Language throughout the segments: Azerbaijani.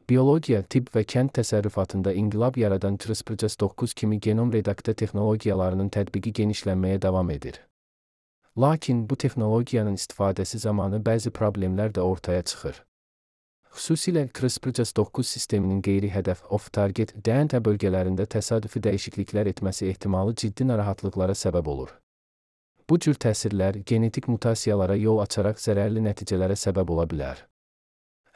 Biologiya, tibb və kənd təsərrüfatında inqilab yaradan CRISPR-Cas9 kimi genom redaktə texnologiyalarının tətbiqi genişlənməyə davam edir. Lakin bu texnologiyanın istifadəsi zamanı bəzi problemlər də ortaya çıxır. Xüsusilə CRISPR-Cas9 sisteminin qeyri-hədəf off-target DNT bölgələrində təsadüfi dəyişikliklər etməsi ehtimalı ciddi narahatlıqlara səbəb olur. Bu cür təsirlər genetik mutasiyalara yol açaraq zərərli nəticələrə səbəb ola bilər.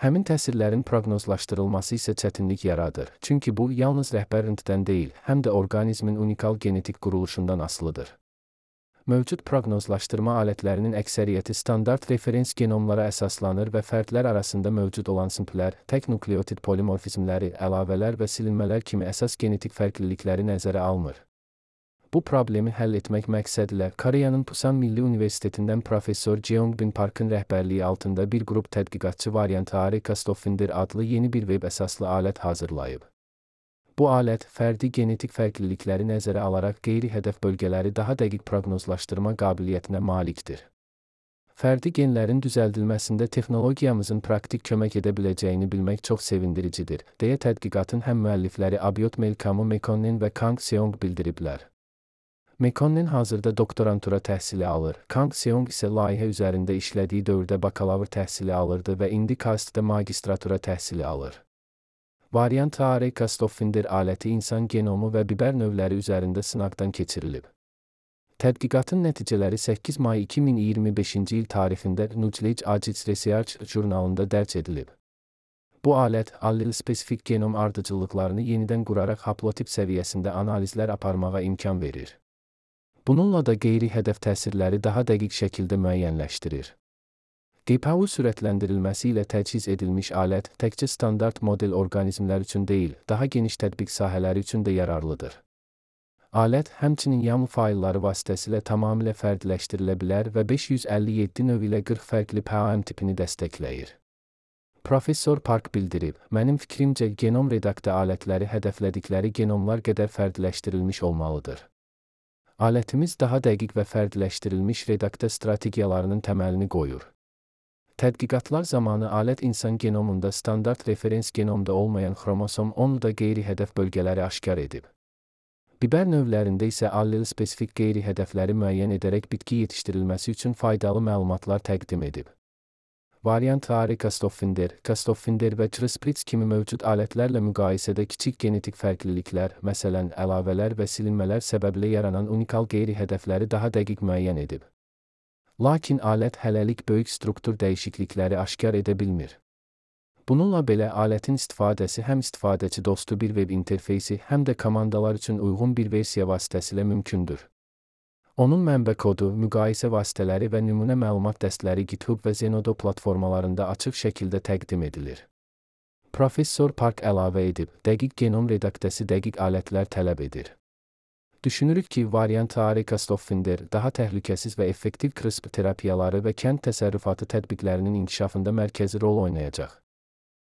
Həmin təsirlərin proqnozlaşdırılması isə çətinlik yaradır, çünki bu yalnız rəhbər RNT-dən deyil, həm də orqanizmin unikal genetik quruluşundan asılıdır. Mövcud proqnozlaşdırma alətlərinin əksəriyyəti standart referens genomlara əsaslanır və fərdlər arasında mövcud olan simplər, tək nukleotid polimorfizmləri, əlavələr və silinmələr kimi əsas genetik fərqlilikləri nəzərə almır. Bu problemi həll etmək məqsədilə Koreyanın Pusan Milli Universitetindən professor Jeongbin Parkın rəhbərliyi altında bir qrup tədqiqatçı variantı Castlefin adlı yeni bir veb əsaslı alət hazırlayıb. Bu alət, fərdi genetik fərqlilikləri nəzərə alaraq qeyri-hədəf bölgələri daha dəqiq proqnozlaşdırma qabiliyyətinə malikdir. Fərdi genlərin düzəldilməsində texnologiyamızın praktik kömək edə biləcəyini bilmək çox sevindiricidir, deyə tədqiqatın həm müəllifləri Abiot Melkamu Mekonnen və Kang Seong bildiriblər. Mekonnen hazırda doktorantura təhsili alır, Kang Seong isə layihə üzərində işlədiyi dövrdə bakalavr təhsili alırdı və indi KAST-da magistratura təhsili alır. Variant Castlefin aləti insan genomu və bibər növləri üzərində sınaqdan keçirilib. Tədqiqatın nəticələri 8 may 2025-ci il tarixində Nucleic Acids Research jurnalında dərc edilib. Bu alət, allel-spesifik genom ardıcıllıqlarını yenidən quraraq haplotip səviyyəsində analizlər aparmağa imkan verir. Bununla da qeyri-hədəf təsirləri daha dəqiq şəkildə müəyyənləşdirir. GPU sürətləndirilməsi ilə təchiz edilmiş alət təkcə standart model orqanizmlər üçün deyil, daha geniş tətbiq sahələri üçün də yararlıdır. Alət həmçinin YAML faylları vasitəsilə tamamilə fərdiləşdirilə bilər və 557 növ ilə 40 fərqli PAM tipini dəstəkləyir. Professor Park bildirib, mənim fikrimcə genom redaktə alətləri hədəflədikləri genomlar qədər fərdiləşdirilmiş olmalıdır. Alətimiz daha dəqiq və fərdiləşdirilmiş redaktə strategiyalarının təməlini qoyur. Tədqiqatlar zamanı alət insan genomunda standart referens genomda olmayan xromosom 10-da qeyri-hədəf bölgələri aşkar edib. Bibər növlərində isə allel-spesifik qeyri-hədəfləri müəyyən edərək bitki yetişdirilməsi üçün faydalı məlumatlar təqdim edib. Variant Castlefin və CRISPR kimi mövcud alətlərlə müqayisədə kiçik genetik fərqliliklər, məsələn, əlavələr və silinmələr səbəblə yaranan unikal qeyri-hədəfləri daha dəqiq müəyyən edib. Lakin alət hələlik böyük struktur dəyişiklikləri aşkar edə bilmir. Bununla belə alətin istifadəsi həm istifadəçi dostu bir veb interfeysi, həm də komandalar üçün uyğun bir versiya vasitəsilə mümkündür. Onun mənbə kodu, müqayisə vasitələri və nümunə məlumat dəstləri GitHub və Zenodo platformalarında açıq şəkildə təqdim edilir. Professor Park əlavə edib, dəqiq genom redaktəsi dəqiq alətlər tələb edir. Düşünürük ki, variant Castlefin daha təhlükəsiz və effektiv CRISPR terapiyaları və kənd təsərrüfatı tətbiqlərinin inkişafında mərkəzi rol oynayacaq.